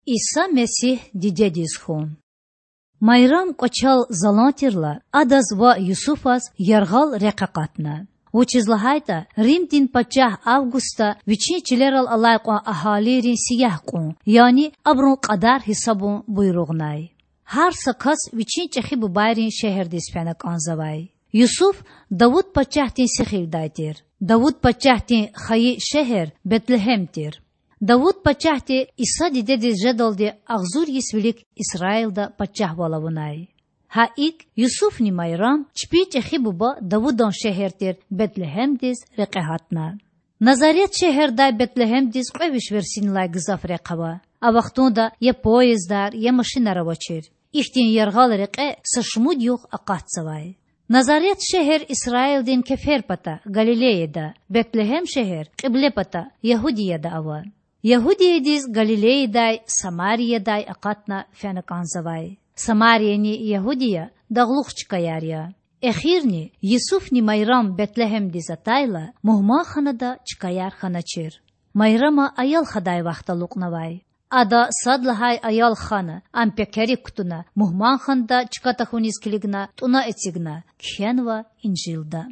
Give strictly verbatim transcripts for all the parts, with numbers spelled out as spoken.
Иса Месигь дидедиз хьун. Майрам кӀвачел залан тирла, адаз ва Юсуфаз яргъал рекь акъатна. Вучиз лагьайтӀа Римдин пачагь Августа вичин чилерал алай кьван агьалийрин сиягь кьун, яни абурун кьадар гьисабун буйругънай. Гьар са кас вичин чӀехи бубайрин шегьердиз фена кӀанзавай. Юсуф Давуд пачагьдин сихилдай тир. Давуд пачагьдин хайи шегьер Бетлегьем тир. Давуд пачагьди Иса дидедиз жедалди агъзур йис вилик Исраилда пачагьвал авунай. Гьа икӀ, Юсуфни Майрам чпин чӀехи буба Давудан шегьер тир Бетлегьемдиз рекье гьатна. Назарет шегьердай Бетлегьемдиз кьве виш версинилай гзаф рехъ ава. А вахтунда я поездар, я машинар авачир. Ихьтин яргъал рекье са шумуд югъ акъатзавай. Назарет шегьер Исраилдин кефер пата, Галилеяда, Бетлегьем шегьер кьибле пата, Ягьудияда ава. Ягьудиядиз Галилеядай, Самариядай акъатна фена кӀанзавай. Самарияни Ягьудия дагълух чкаяр я. Эхирни, Юсуфни Майрам Бетлегьемдиз атайла, мугьманханада чкаяр хьаначир. Майрама аял хадай вахт алукьнавай. Ада сад лагьай аял хана, ам пекерик кутуна, мугьманханада чка тахьуниз килигна, тӀуьна эцигна, кхьенва Инжилда.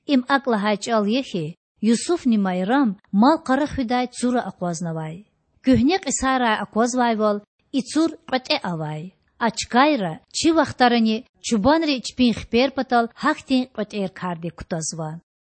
Им акӀ лагьай чӀал я хьи, Юсуфни Майрам мал-къара хуьдай цура акъвазнавай. Куьгьне кьисайрай аквазвайвал, и цур кьветӀе авай. А чкайра чи вахтарани чубанри чпин хипер патал гьахьтин кьветӀер кардик кутазва.